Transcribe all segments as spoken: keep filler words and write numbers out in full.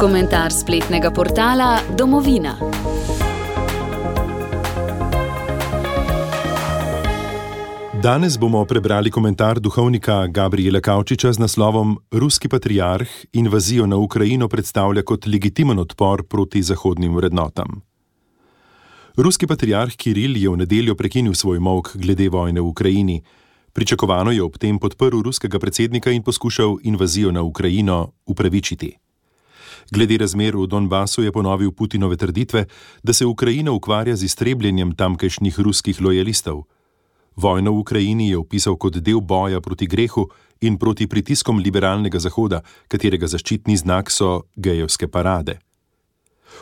Komentar spletnega portala Domovina. Danes bomo prebrali komentar duhovnika Gabriela Kavčiča z naslovom Ruski patriarh invazijo na Ukrajino predstavlja kot legitimen odpor proti zahodnim vrednotam. Ruski patriarh Kiril je v nedeljo prekinil svoj molk glede vojne v Ukrajini. Pričakovano je ob tem podprl ruskega predsednika in poskušal invazijo na Ukrajino upravičiti. Glede razmer v Donbasu je ponovil Putinove trditve, da se Ukrajina ukvarja z iztrebljenjem tamkajšnjih ruskih lojalistov. Vojno v Ukrajini je opisal kot del boja proti grehu in proti pritiskom liberalnega Zahoda, katerega zaščitni znak so gejevske parade.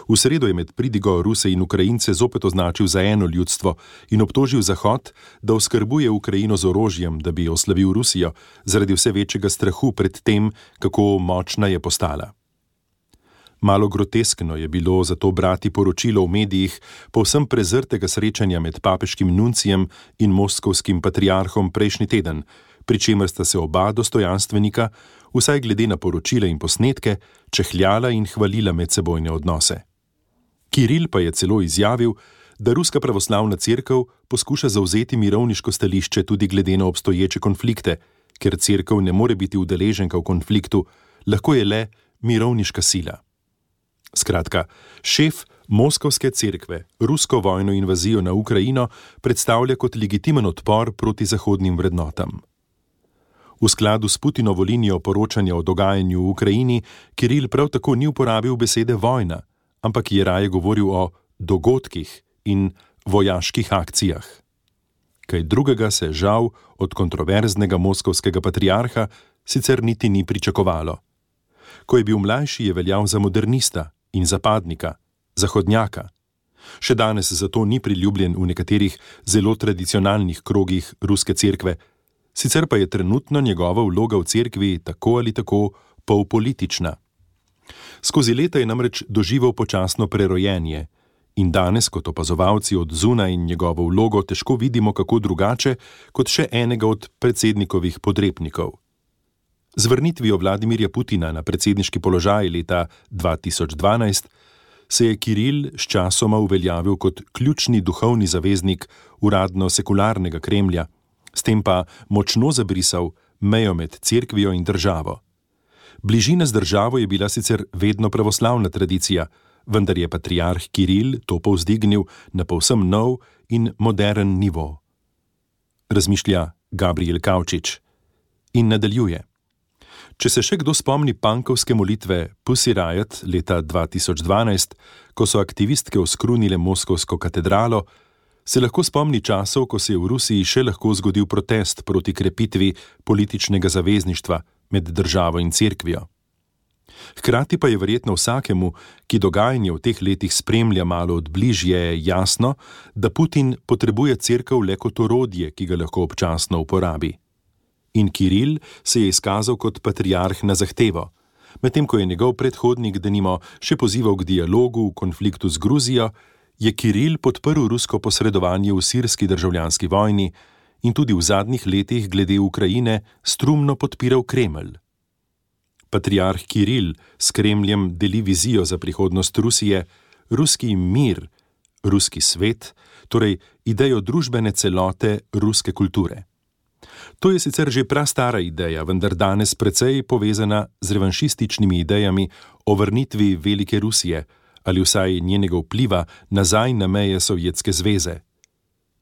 V sredo je med pridigo Ruse in Ukrajince zopet označil za eno ljudstvo in obtožil Zahod, da oskrbuje Ukrajino z orožjem, da bi oslavil Rusijo, zaradi vse večjega strahu pred tem, kako močna je postala. Malo groteskno je bilo zato brati poročilo v medijih povsem prezrtega srečanja med papeškim nuncijem in moskovskim patriarhom prejšnji teden, pri čemer sta se oba dostojanstvenika, vsaj glede na poročila in posnetke, čehljala in hvalila medsebojne odnose. Kiril pa je celo izjavil, da Ruska pravoslavna cerkev poskuša zavzeti mirovniško stališče tudi glede na obstoječe konflikte, ker cerkev ne more biti udeleženka v konfliktu, lahko je le mirovniška sila. Skratka, šef Moskovske cerkve rusko vojno invazijo na Ukrajino predstavlja kot legitimen odpor proti zahodnim vrednotam. V skladu s Putinovo linijo poročanja o dogajanju v Ukrajini, Kiril prav tako ni uporabil besede vojna, ampak je raje govoril o dogodkih in vojaških akcijah. Kaj drugega se žal od kontroverznega moskovskega patriarha sicer niti ni pričakovalo. Ko je bil mlajši, je veljal za modernista in zapadnika, zahodnjaka. Še danes zato ni priljubljen v nekaterih zelo tradicionalnih krogih ruske cerkve, sicer pa je trenutno njegova vloga v cerkvi tako ali tako polpolitična. Skozi leta je namreč doživel počasno prerojenje in danes kot opazovalci od zunaj njegovo vlogo težko vidimo kako drugače kot še enega od predsednikovih podrepnikov. Z vrnitvijo Vladimirja Putina na predsedniški položaj leta dva tisoč dvanajst se je Kiril sčasoma uveljavil kot ključni duhovni zaveznik uradno sekularnega Kremlja, s tem pa močno zabrisal mejo med cerkvijo in državo. Bližina z državo je bila sicer vedno pravoslavna tradicija, vendar je patriarh Kiril to povzdignil na povsem nov in modern nivo. Razmišlja Gabriel Kavčič in nadaljuje. Če se še kdo spomni punkovske molitve Pussy Riot leta dva tisoč dvanajst, ko so aktivistke oskrunile moskovsko katedralo, se lahko spomni časov, ko se je v Rusiji še lahko zgodil protest proti krepitvi političnega zavezništva med državo in cerkvijo. Hkrati pa je verjetno vsakemu, ki dogajanje v teh letih spremlja malo od bližje, jasno, da Putin potrebuje cerkev le kot orodje, ki ga lahko občasno uporabi. In Kiril se je izkazal kot patriarh na zahtevo, medtem ko je njegov predhodnik denimo še pozival k dialogu v konfliktu z Gruzijo, je Kiril podprl rusko posredovanje v sirski državljanski vojni in tudi v zadnjih letih glede Ukrajine strumno podpiral Kremelj. Patriarh Kiril s Kremljem deli vizijo za prihodnost Rusije, ruski mir, ruski svet, torej idejo družbene celote ruske kulture. To je sicer že prastara ideja, vendar danes precej povezana z revanšističnimi idejami o vrnitvi Velike Rusije ali vsaj njenega vpliva nazaj na meje Sovjetske zveze.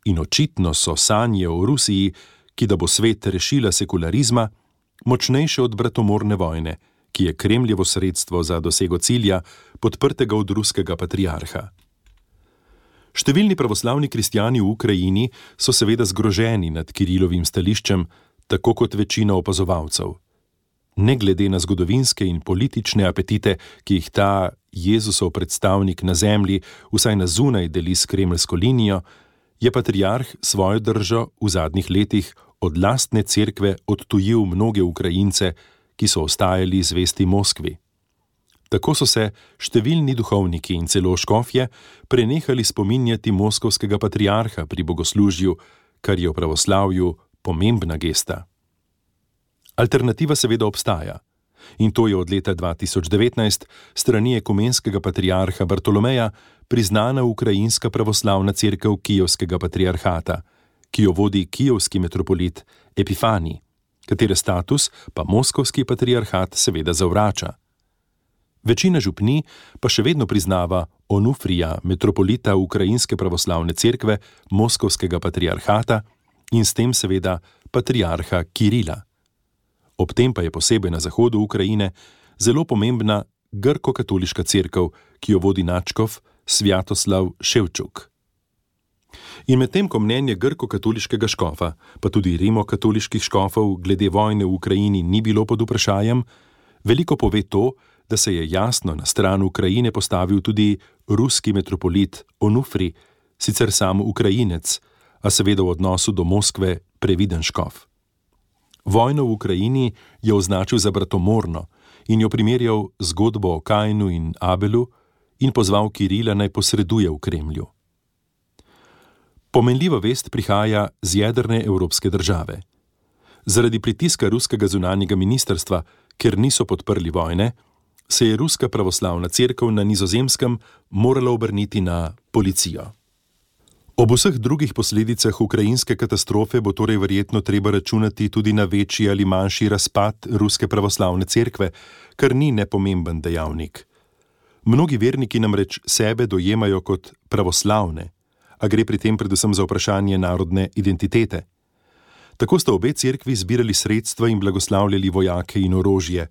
In očitno so sanje o Rusiji, ki da bo svet rešila sekularizma, močnejše od bratomorne vojne, ki je Kremljevo sredstvo za dosego cilja, podprtega od ruskega patriarha. Številni pravoslavni kristjani v Ukrajini so seveda zgroženi nad Kirilovim stališčem, tako kot večina opazovalcev. Ne glede na zgodovinske in politične apetite, ki jih ta Jezusov predstavnik na zemlji vsaj na zunaj deli s kremljsko linijo, je patriarh svojo držo v zadnjih letih od lastne cerkve odtujil mnoge Ukrajince, ki so ostajali zvesti Moskvi. Tako so se številni duhovniki in celo škofje prenehali spominjati moskovskega patriarha pri bogoslužju, kar je v pravoslavju pomembna gesta. Alternativa seveda obstaja. In to je od leta dva tisoč devetnajst strani ekumenskega patriarha Bartolomeja priznana ukrajinska pravoslavna cerkev Kijevskega patriarhata, ki jo vodi kijevski metropolit Epifani, katere status pa moskovski patriarhat seveda zavrača. Večina župnij pa še vedno priznava Onufrija, metropolita ukrajinske pravoslavne cerkve moskovskega patriarhata in s tem seveda patriarha Kirila. Ob tem pa je posebej na zahodu Ukrajine zelo pomembna grko-katoliška cerkev, ki jo vodi nadškof Svjatoslav Ševčuk. In medtem ko mnenje grko-katoliškega škofa, pa tudi rimokatoliških škofov glede vojne v Ukrajini ni bilo pod vprašajem, veliko pove to, da se je jasno na stran Ukrajine postavil tudi ruski metropolit Onufri, sicer sam Ukrajinec, a seveda v odnosu do Moskve previden škof. Vojno v Ukrajini je označil za bratomorno in jo primerjal z zgodbo o Kainu in Abelu in pozval Kirila naj posreduje v Kremlju. Pomenljiva vest prihaja z jedrne evropske države. Zaradi pritiska ruskega zunanjega ministrstva, ker niso podprli vojne, se je ruska pravoslavna cerkev na Nizozemskem morala obrniti na policijo. Ob vseh drugih posledicah ukrajinske katastrofe bo torej verjetno treba računati tudi na večji ali manjši razpad ruske pravoslavne cerkve, kar ni nepomemben dejavnik. Mnogi verniki namreč sebe dojemajo kot pravoslavne, a gre pri tem predvsem za vprašanje narodne identitete. Tako sta obe cerkvi zbirali sredstva in blagoslavljali vojake in orožje,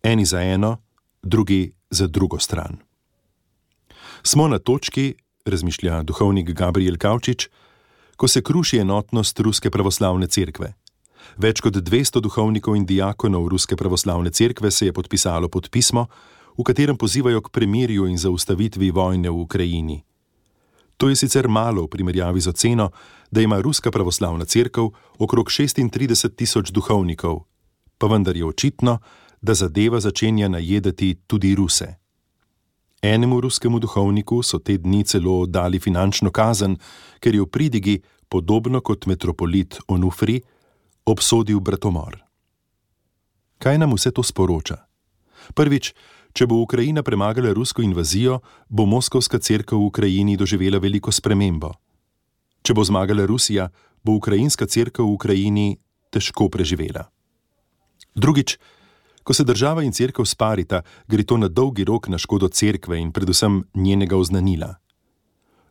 eni za eno, drugi za drugo stran. Smo na točki, razmišlja duhovnik Gabriel Kavčič, ko se kruši enotnost ruske pravoslavne cerkve. Več kot dvesto duhovnikov in diakonov ruske pravoslavne cerkve se je podpisalo pod pismo, v katerem pozivajo k premirju in zaustavitvi vojne v Ukrajini. To je sicer malo v primerjavi z oceno, da ima ruska pravoslavna cerkev okrog šestintrideset tisoč duhovnikov, pa vendar je očitno, da zadeva začenja najedati tudi Ruse. Enemu ruskemu duhovniku so te dni celo dali finančno kazen, ker je v pridigi, podobno kot metropolit Onufri, obsodil bratomor. Kaj nam vse to sporoča? Prvič, če bo Ukrajina premagala rusko invazijo, bo moskovska cerkev v Ukrajini doživela veliko spremembo. Če bo zmagala Rusija, bo ukrajinska cerkev v Ukrajini težko preživela. Drugič, ko se država in cerkev sparita, gre to na dolgi rok na škodo cerkve in predvsem njenega oznanila.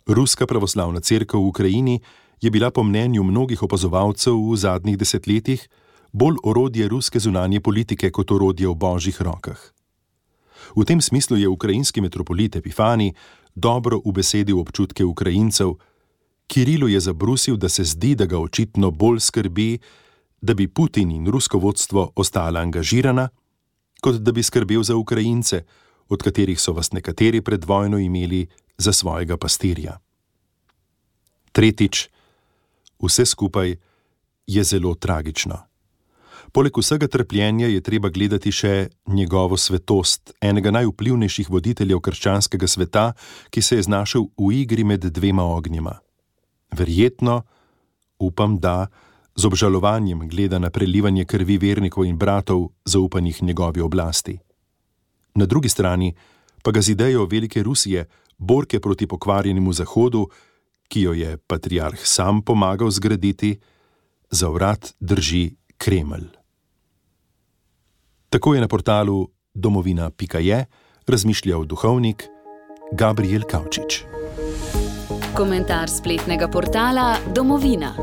Ruska pravoslavna cerkev v Ukrajini je bila po mnenju mnogih opazovalcev v zadnjih desetletjih bolj orodje ruske zunanje politike kot orodje v božjih rokah. V tem smislu je ukrajinski metropolit Epifani dobro ubesedil občutke Ukrajincev. Kirilu je zabrusil, da se zdi, da ga očitno bolj skrbi, da bi Putin in rusko vodstvo ostala angažirana, kot da bi skrbel za Ukrajince, od katerih so vas nekateri pred vojno imeli za svojega pastirja. Tretjič, vse skupaj je zelo tragično. Poleg vsega trpljenja je treba gledati še njegovo svetost, enega najvplivnejših voditeljev krščanskega sveta, ki se je znašel v igri med dvema ognjema. Verjetno, upam, da z obžalovanjem gleda na prelivanje krvi vernikov in bratov zaupanih njegovi oblasti. Na drugi strani pa ga z idejo velike Rusije, borke proti pokvarjenemu Zahodu, ki jo je patriarh sam pomagal zgraditi, za vrat drži Kremelj. Tako je na portalu domovina pika je razmišljal duhovnik Gabriel Kavčič. Komentar spletnega portala Domovina.